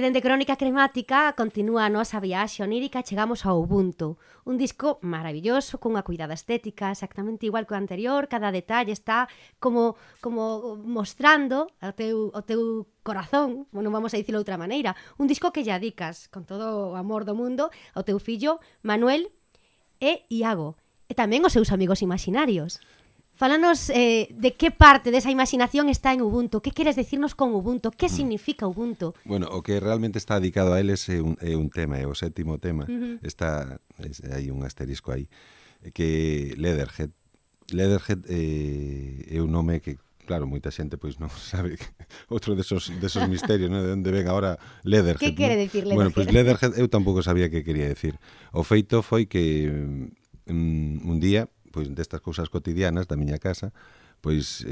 E dende Crónica Cremática continúa a nosa viaxe onírica, chegamos ao Ubuntu, un disco maravilloso, cunha cuidada estética exactamente igual que o anterior, cada detalle está como mostrando ao teu corazón, non vamos a dicirlo de outra maneira, un disco que lle adicas con todo o amor do mundo ao teu fillo Manuel e Iago, e tamén os seus amigos imaginarios. Fálanos de que parte desa imaginación está en Ubuntu. Que queres decirnos con Ubuntu? Que significa Ubuntu? Bueno, o que realmente está dedicado a eles é un tema, é o sétimo tema. Está hai un asterisco aí, que Leatherhead. Leatherhead é un nome que, claro, moita xente pois non sabe outro desos misterios, ¿no? De onde ven agora Leatherhead. Que quere decir Leatherhead? Bueno, pois Leatherhead eu tampouco sabía que quería decir. O feito foi que un día, pois destas cousas cotidianas da miña casa, pois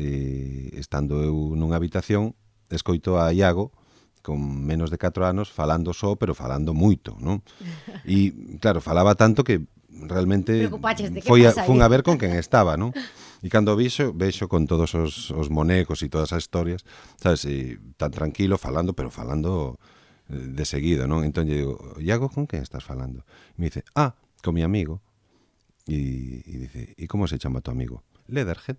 estando eu nunha habitación, escoito a Iago con menos de 4 anos falando só, pero falando moito, non? E claro, falaba tanto que realmente fun a ver con quen estaba, non? E cando vexo con todos os monecos e todas as historias, sabes, tan tranquilo falando, pero falando de seguido, non? Entón lle digo, Iago, con quen estás falando? E me dice, con mi amigo. E dice, e como se chama tu amigo? Leatherhead.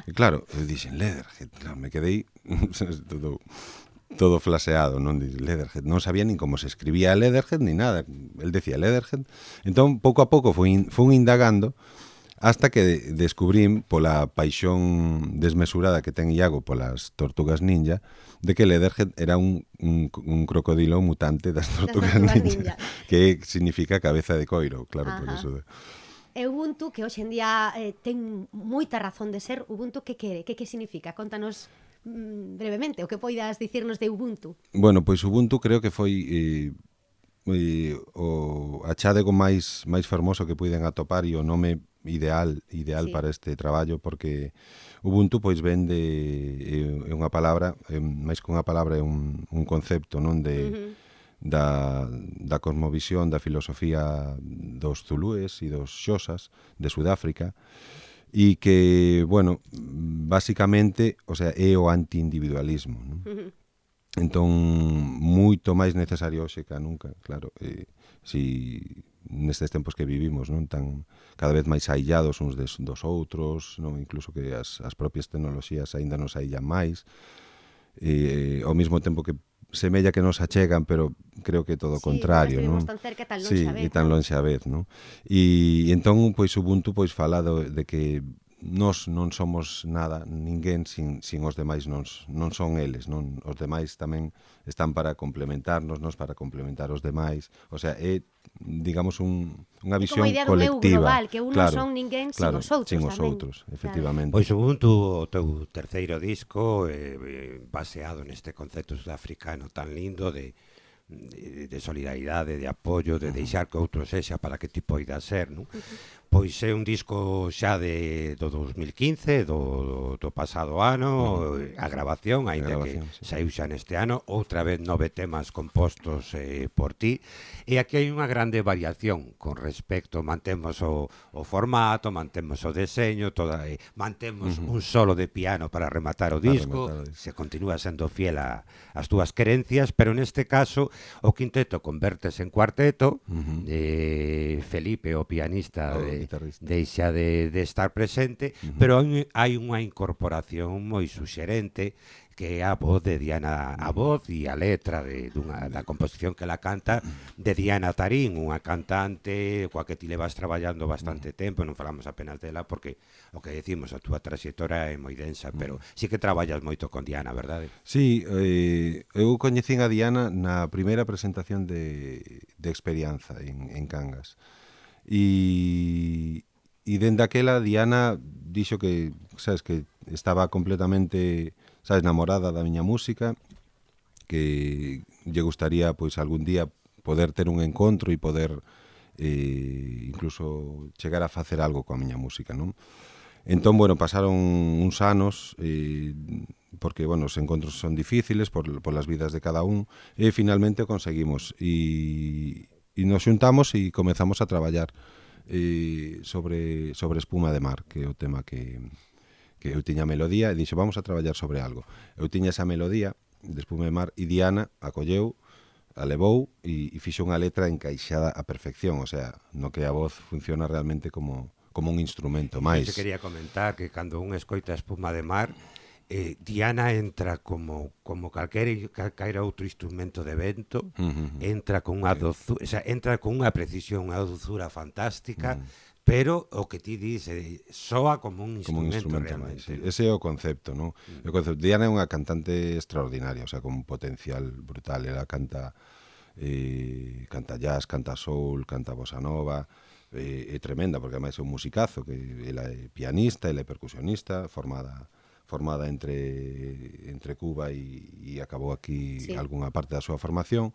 E claro, eu dixen, Leatherhead, claro, me quedei todo flaseado, non? Leatherhead, non sabía nin como se escribía Leatherhead ni nada, el decía Leatherhead. Entón, pouco a pouco fun indagando hasta que descubrín pola paixón desmesurada que ten Iago polas tortugas ninja, de que Leatherhead era un crocodilo mutante das tortugas ninja, que significa cabeza de coiro, claro, por eso. E Ubuntu, que hoxe en día ten moita razón de ser, Ubuntu que quere? Que significa? Contanos brevemente o que poidas dicirnos de Ubuntu. Bueno, pois Ubuntu creo que foi o achádego máis fermoso que puiden atopar e o nome ideal sí, para este traballo, porque Ubuntu pois ven é unha palabra, máis que unha palabra é un concepto, non, de da cosmovisión, da filosofía dos zulúes e dos xosas de Sudáfrica, e que, bueno, basicamente, o sea, é o anti-individualismo, non? Entón, moito máis necesario hoxe que nunca, claro, si nestes tempos que vivimos, non, tan cada vez máis aillados uns dos outros, non, incluso que as propias tecnoloxías aínda nos aillan máis, ao mesmo tempo que semella que nos achegan, pero creo que todo o contrario, non? Tan cerca, tan lonxe a vez. Sí, e tan lonxe a vez, non? E entón, pois, Ubuntu pois fala de que nós non somos nada, ninguén sin os demais non son eles, non? Os demais tamén están para complementarnos, nos para complementar os demais, o sea, é, digamos, unha visión colectiva. Como a idea do eu global, que un non son ninguén sin os outros tamén. Sin os outros, efectivamente. Pois Ubuntu, o teu terceiro disco, baseado neste concepto sudafricano tan lindo de solidaridade, de apoio, de deixar que outro sexa para que ti poida ser, non? Pois é un disco xa do 2015, do pasado ano, a grabación, aínda que saiu xa neste ano, outra vez 9 temas compostos por ti, e aquí hai unha grande variación con respecto, mantemos o formato, mantemos o deseño, mantemos un solo de piano para rematar o disco, se continúa sendo fiel ás túas querencias, pero neste caso o quinteto convertese en cuarteto, Felipe, o pianista, deixa de estar presente, pero hai unha incorporación moi suxerente que é a voz de Diana, a voz e a letra da composición que la canta de Diana Tarín, unha cantante coa que ti levas traballando bastante tempo, non falamos apenas dela porque o que decimos, a túa traxectoria é moi densa, pero sí que traballas moito con Diana, verdade? Sí, eu coñecín a Diana na primeira presentación de Experianza en Cangas, e dende aquela Diana dixo que, sabes, que estaba completamente, sabes, namorada da miña música, que lle gustaría pois algún día poder ter un encontro e poder incluso chegar a facer algo coa miña música, non? Entón, bueno, pasaron uns anos porque, bueno, os encontros son difíciles por las vidas de cada un, e finalmente o conseguimos e nos xuntamos e comezamos a traballar sobre Espuma de Mar, que é o tema que eu tiña melodía, e dixo, vamos a traballar sobre algo. Eu tiña esa melodía, de Espuma de Mar, e Diana acolleu, a levou e fixo unha letra encaixada a perfección, o sea, no que a voz funciona realmente como un instrumento máis. Eu quería comentar que cando un escoita Espuma de Mar, Diana entra como calquera outro instrumento de vento, entra con unha dozura, o sea, entra con unha precisión, unha dozura fantástica, pero o que ti dis soa como un instrumento realmente. Máis, ese é o concepto, non? O concepto. Diana é unha cantante extraordinaria, o sea, con un potencial brutal. Ela canta jazz, canta soul, canta bossa nova, é tremenda, porque ademais é un musicazo, que ela é pianista, ela é percusionista, formada entre Cuba e acabou aquí algunha parte da súa formación,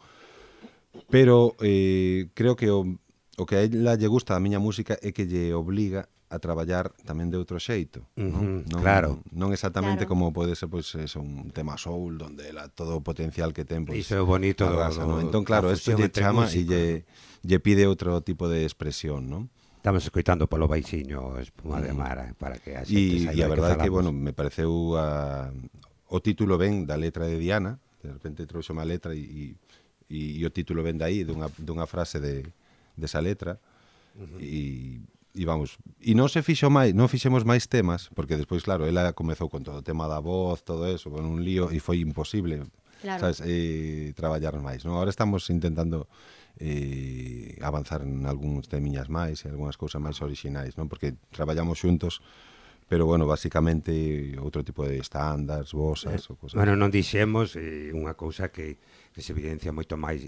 pero creo que o que a ela lle gusta da miña música é que lle obliga a traballar tamén de outro xeito, non? Claro. Non exactamente como pode ser pois un tema soul onde ela todo o potencial que ten pois iso é bonito entón claro, isto lle chama e lle pide outro tipo de expresión, non? Estamos escoitando polo baixiño Espuma de Mar para que a xente saiba. E a verdade é que, bueno, me pareceu o título ben da letra de Diana, de repente trouxe unha letra e o título ven de aí, dunha frase desa letra, e vamos, e non fixemos máis temas, porque despois, claro, ela comezou con todo o tema da voz, todo eso, con un lío, e foi imposible, sabes, traballar máis, non? Ahora estamos intentando avanzar en algúns temiñas máis e algunhas cousas máis orixinais, non? Porque traballamos xuntos, pero, bueno, basicamente outro tipo de estándares, vosas ou cosas. Bueno, non dixemos unha cousa que se evidencia moito máis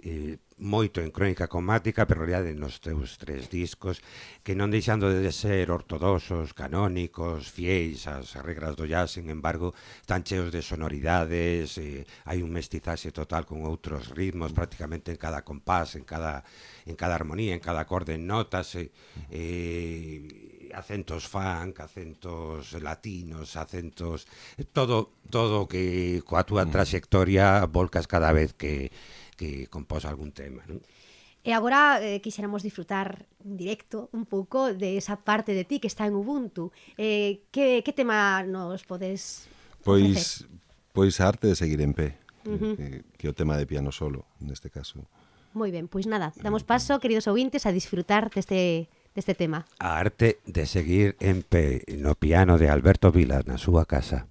moito en Crónica Cromática, pero en realidade nos teus 3 discos que non deixando de ser ortodoxos, canónicos, fieis ás regras do jazz, sin embargo, están cheos de sonoridades, hai un mestizaxe total con outros ritmos prácticamente en cada compás, en cada armonía, en cada acorde, en notas, acentos funk, acentos latinos, acentos todo que coa túa trayectoria volcas cada vez que compós algún tema, non? E agora quixéramos disfrutar en directo un pouco de esa parte de ti que está en Ubuntu. Que tema nos podes ofrecer? Pois a arte de seguir en pé, que é o tema de piano solo, neste caso. Moi ben, pois nada, damos paso, queridos ouvintes, a disfrutar deste tema. A arte de seguir en pé no piano de Alberto Vilas na súa casa.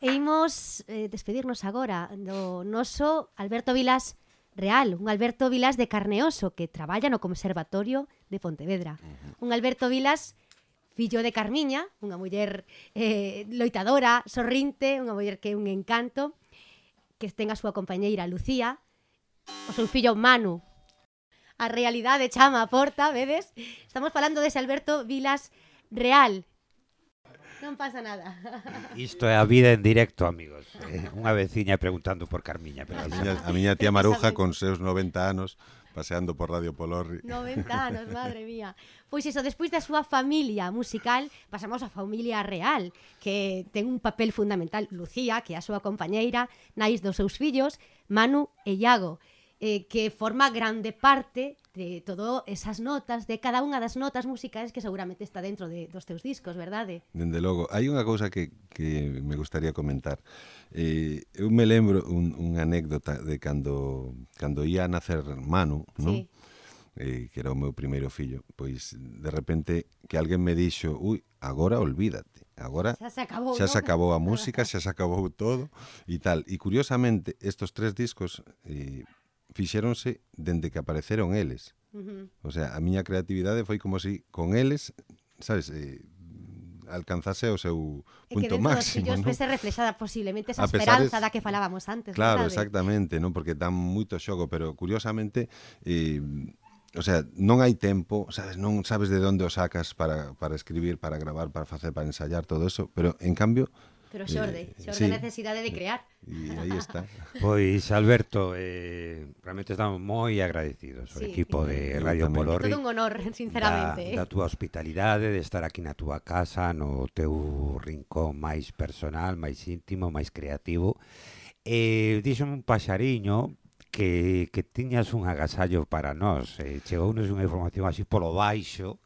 E imos despedirnos agora do noso Alberto Vilas real, un Alberto Vilas de Carneoso que traballa no Conservatorio de Pontevedra. Un Alberto Vilas fillo de Carmiña, unha muller loitadora, sorrinte, unha muller que é un encanto, que ten a súa compañeira Lucía, o seu fillo Manu. A realidade chama a porta, vedes? Estamos falando dese Alberto Vilas real. Non pasa nada. Isto é a vida en directo, amigos. Unha veciña preguntando por Carmiña. Pero A miña tía Maruja con seus 90 anos paseando por Radio Polorri. 90 anos, madre mía. Pois iso, despois da súa familia musical, pasamos á familia real, que ten un papel fundamental. Lucía, que é a súa compañeira, nais dos seus fillos, Manu e Iago, que forma grande parte de todas esas notas, de cada unha das notas musicais que seguramente está dentro dos teus discos, verdade? Dende logo, hai unha cousa que me gustaría comentar. Eu me lembro unha anécdota de cando ia a nacer Manu, non? Sí. Que era o meu primeiro fillo, pois de repente que alguén me dixo, ui, agora olvídate, agora Xa se acabou, xa se non? acabou a música, xa se acabou todo e tal. E curiosamente, estos 3 discos fixéronse dende que apareceron eles. O sea, a miña creatividade foi como si con eles, sabes, alcanzase o seu punto máximo, E que dentro dos fillos non? vese reflexada posiblemente esa A pesar esperanza da que falábamos antes, Claro, verdade? exactamente, non? Porque dan moito xogo, pero curiosamente, o sea, non hai tempo, sabes, non sabes de onde o sacas para escribir, para gravar, para facer, para ensayar, todo eso, pero en cambio... Pero xorde sí. necesidade de crear. E aí está. Pois, Alberto, realmente estamos moi agradecidos ao Sí. equipo de Eu Radio tamén. Polorri. Todo un honor, sinceramente. Da túa hospitalidade, de estar aquí na túa casa, no teu rincón máis personal, máis íntimo, máis creativo. Díxome un paxariño que tiñas un agasallo para nós. Chegounos unha información así polo baixo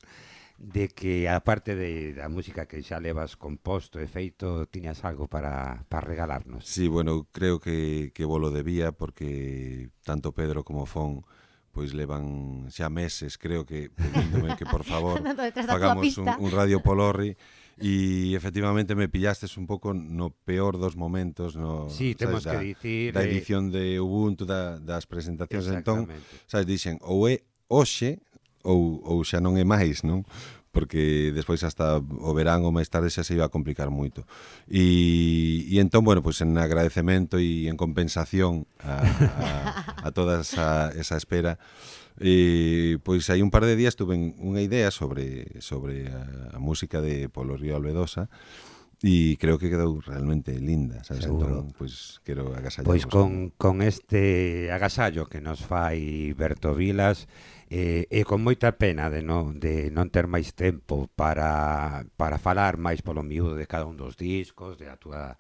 de que, aparte da música que xa levas composto e feito, tiñas algo para regalarnos. Sí, bueno, creo que volo debía porque tanto Pedro como Fon pois levan xa meses, creo que pedíndome que por favor Andando detrás da túa fagamos pista. un Radio Polorri e efectivamente me pillastes un pouco no peor dos momentos, no, Sí, temos sabes, que dicir... da edición de Ubuntu, das presentacións, entón, Exactamente. sabes, dixen, ou é hoxe ou xa non é máis, non? Porque despois hasta o verán ou máis tarde xa se iba a complicar moito. E entón, bueno, pois en agradecemento e en compensación a toda esa espera, pois hai un par de días tuve unha idea sobre a música de Polo Río Albedosa e creo que quedou realmente linda, sabes? Seguro. Entón, pois quero agasallarvos. Pois con este agasallo que nos fai Berto Vilas, e con moita pena de non ter máis tempo para falar máis polo miúdo de cada un dos discos, de a túa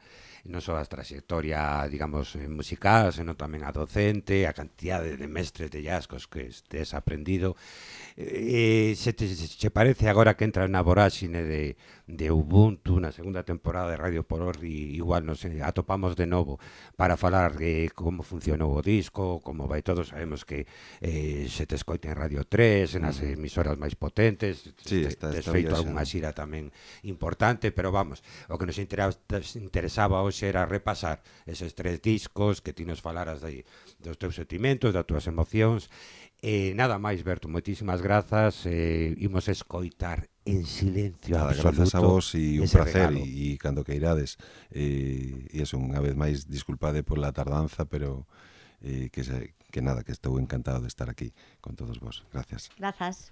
non só a trayectoria, digamos, musical, senón tamén a docente, a cantidade de mestres de jazzcos que estés aprendido. Se te parece agora que entra na voráxine de Ubuntu na segunda temporada de Radio Polorri, igual nos atopamos de novo para falar de como funcionou o disco, como vai todo, sabemos que se te escoita en Radio 3, nas emisoras máis potentes, Sí, tes está feito viaxando. algunha xira tamén importante, pero vamos, o que nos interesaba hoxe era repasar eses 3 discos, que ti nos falaras dos teus sentimentos, das túas emocións. Nada máis, Berto, moitísimas grazas. Imos escoitar en silencio Nada, absoluto. grazas a vos e un ese placer regalo. e cando que irades e eso, unha vez máis disculpade pola tardanza, pero que nada, que estou encantado de estar aquí con todos vos. Gracias. Grazas.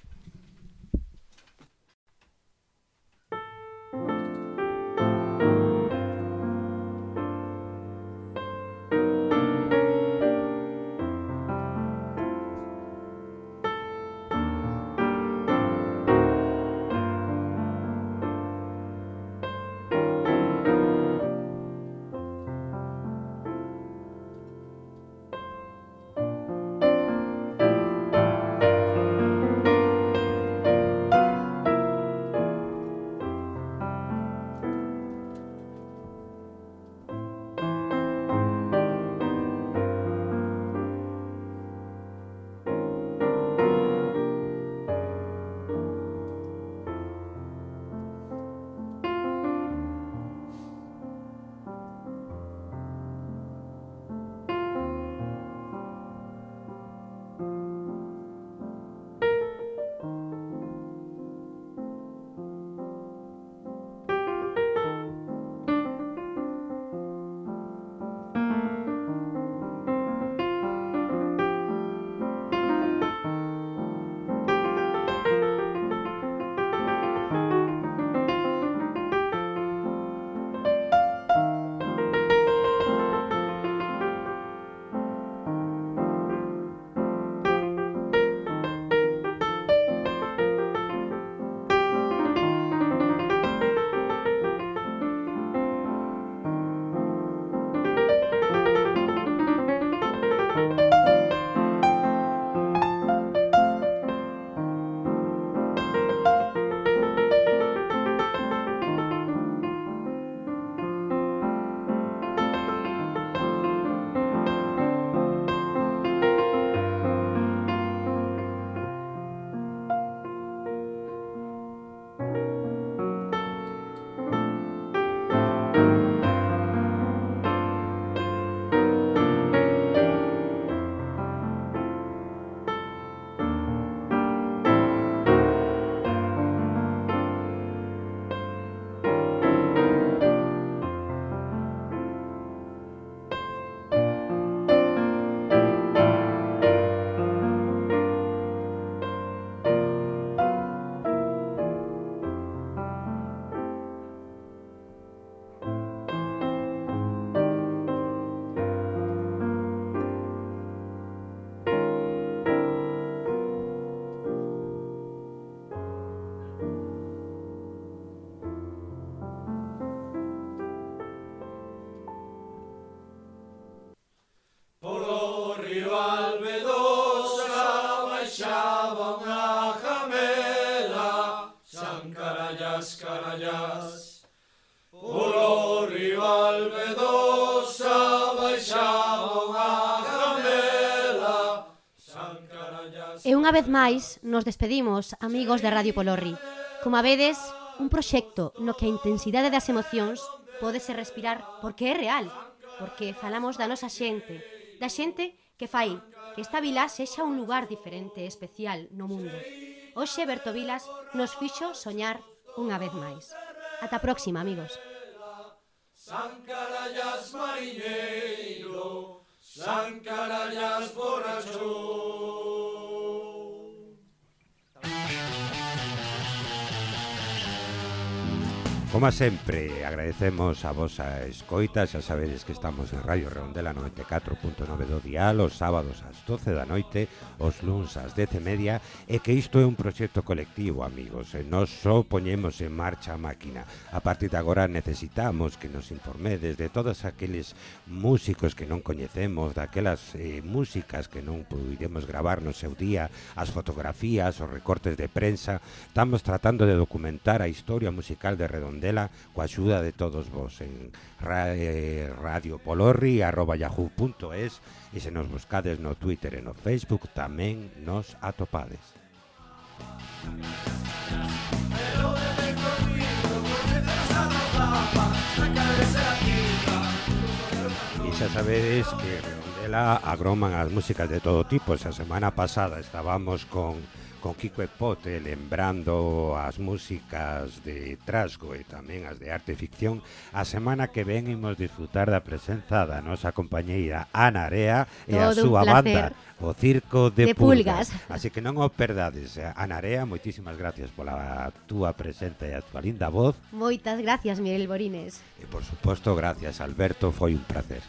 E unha vez máis nos despedimos, amigos de Radio Polorri. Como a vedes, un proxecto no que a intensidade das emocións pódese respirar porque é real, porque falamos da nosa xente, da xente que fai que esta vila sexa un lugar diferente e especial no mundo. Hoxe Berto Vilas nos fixo soñar unha vez máis. Ata a próxima, amigos. San Carallas mariñeiro, San Carallas borracho. Como sempre, agradecemos a vosa escoita. Xa sabedes que estamos en Radio Redondela 94.9 do dial, os sábados ás 12 da noite, os luns ás 10:30, e que isto é un proxecto colectivo, amigos. E nós só poñemos en marcha a máquina. A partir de agora necesitamos que nos informedes de todos aqueles músicos que non coñecemos, daquelas músicas que non puidemos gravar no seu día, as fotografías, os recortes de prensa. Estamos tratando de documentar a historia musical de Redondela coa axuda de todos vos en radiopolorri@yahoo.es, e se nos buscades no Twitter e no Facebook tamén nos atopades. E xa sabedes que Redondela agroman as músicas de todo tipo. Esa semana pasada estábamos con Kiko e Pote lembrando as músicas de Trasgo e tamén as de arte e ficción. A semana que ven imos disfrutar da presenza da nosa compañeira Ana Area e a súa banda, o Circo de Pulgas. Así que non o perdades. Ana Area, moitísimas gracias pola túa presenza e a túa linda voz. Moitas gracias, Miguel Borines. E por suposto, gracias, Alberto, foi un placer.